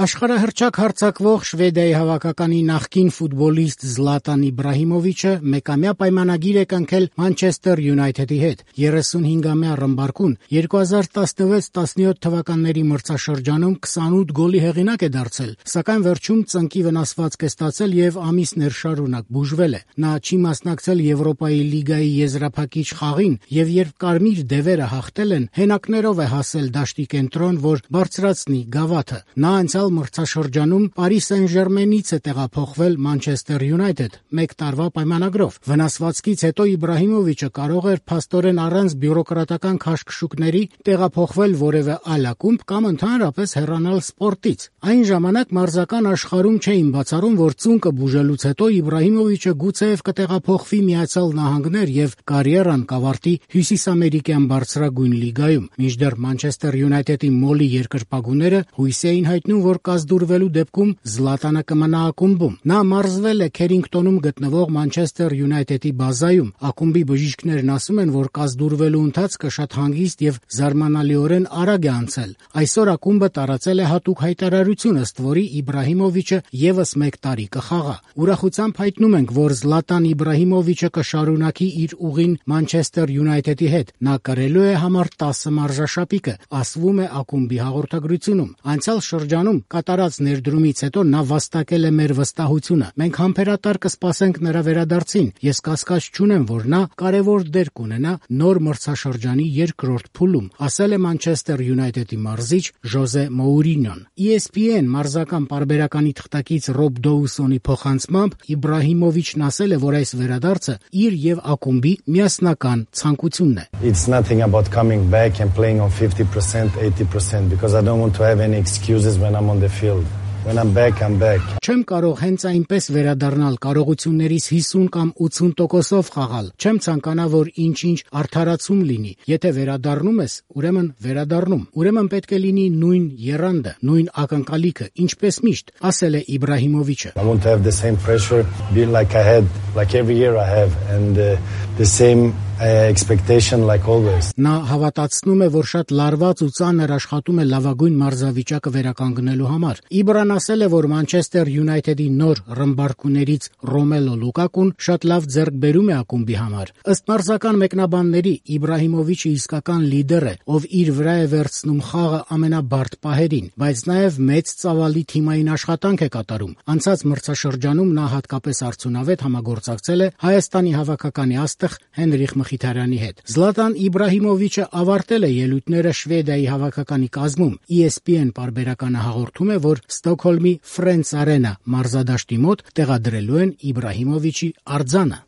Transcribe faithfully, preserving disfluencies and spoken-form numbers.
Աշխարհահռչակ հարձակվող Շվեդիայի հավաքականի նախկին ֆուտբոլիստ Զլատան Իբրահիմովիչը մեկամյա պայմանագիր է կնքել Մանչեսթեր Յունայթեդի հետ։ երեսունհինգամյա ռմբարկուն երկու հազար տասնվեց տասնյոթ թվականների մրցաշրջանում քսանութ գոլի հեղինակ է դարձել, սակայն վերջում ծնկի վնասվածք է ստացել եւ ամիսներ շարունակ բուժվել է։ Նա չի մասնակցել Եվրոպայի լիգայի եզրափակիչ խաղին եւ երբ կարմիր դևերը հաղթել են, հենակներով է հասել դաշտի կենտրոն, որ բարձրացնի գավաթը։ Նա անցյալ մրցաշրջանում Պարի Սեն-Ժերմենից է տեղափոխվել Մանչեսթեր Յունայթեդ մեկ տարվա պայմանագրով։ Վնասվածքից հետո Իբրահիմովիչը կարող էր փաստորեն առանց բյուրոկրատական քաշքշուկների տեղափոխվել որևէ այլ ակումբ կամ ընդհանրապես հեռանալ սպորտից։ Այն ժամանակ մարզական աշխարհում չէին բացառում, որ ծունկը բուժելուց հետո Իբրահիմովիչը գուցեև կտեղափոխվի Միացյալ Նահանգներ եւ կարիերան կավարտի հյուսիսամերիկյան բարձրագույն լիգայում։ Մինչդեռ Մանչեսթեր Յունայթեդի մոլի երկրպագուները հույս էին հայտնում, որ կազդուրվելու դեպքում Զլատանը կմնա ակումբում։ Նա մարզվել է Քերինգտոնում գտնվող Մանչեսթեր Յունայթեդի բազայում։ Ակումբի բժիշկներն ասում են, որ կազդուրվելու ընթացքը շատ հանգիստ եւ զարմանալիորեն արագ է անցել։ Այսօր ակումբը տարածել է հատուկ հայտարարություն, ըստ որի Իբրահիմովիչը եւս մեկ տարի կխաղա։ Ուրախությամբ հայտնում ենք, որ Զլատան Իբրահիմովիչը կշարունակի իր ուղին Մանչեսթեր Յունայթեդի հետ։ Նա կրելու է համար տասը մարզաշապիկը, ասվում է ակումբի հաղորդագրությունում։ Անցյալ շրջանում կատարած ներդրումից հետո նա վաստակել է մեր վստահությունը։ Մենք համբերատար կսպասենք նրա վերադարձին։ Ես կասկած չունեմ, որ նա կարևոր դեր կունենա նոր մրցաշրջանի երկրորդ փուլում, ասել է Մանչեսթեր Յունայթեդի մարզիչ Ժոզե Մոուրինյոն։ E S P N մարզական պարբերականի թղթակից Ռոբ Դոուսոնի փոխանցմամբ Իբրահիմովիչն ասել է, որ այս վերադարձը իր եւ ակումբի միասնական ցանկությունն է։ It's nothing about coming back and playing on fifty percent, eighty percent because I don't want to have any excuses when I'm on the field. When I'm back, I'm back. Չեմ կարող հենց այնպես վերադառնալ, կարողություններիս հիսուն կամ ութսուն տոկոսով խաղալ։ Չեմ ցանկանա, որ ինչ-ինչ արդարացում լինի։ Եթե վերադառնում ես, ուրեմն վերադառնում։ Ուրեմն պետք է լինի նույն եռանդը, նույն ակնկալիքը, ինչպես միշտ, ասել է Իբրահիմովիչը։ I want to have the same pressure, be like I had, like every year I have, and uh, the same expectation like always. Նա հավատացնում է, որ շատ լարված ու ծանր աշխատում է լավագույն մարզավիճակը վերականգնելու համար։ Իբրան ասել է, որ Մանչեսթեր Յունայթեդի նոր ռմբարկուներից Ռոմելո Լուկակուն շատ լավ ձեռքբերում է ակումբի համար։ Ըստ մարզական մեկնաբանների, Իբրահիմովիչը իսկական լիդեր է, ով իր վրա է վերցնում խաղը ամենաբարդ պահերին, բայց նաև մեծ ծավալի թիմային աշխատանք է կատարում։ Անցած մրցաշրջանում նա հատկապես արդյունավետ համագործակցել է Հայաստանի հավաքականի աստղ Հենրիխ Մխիթարյանի հետ։ Զլատան Իբրահիմովիչը ավարտել է ելույթները Շվեդիայի հավաքականի կազմում։ E S P N պարբերականը հաղորդում է, որ Ստոկհոլմի Ֆրենց Արենա մարզադաշտի մոտ տեղադրելու են Իբրահիմովիչի արձանը։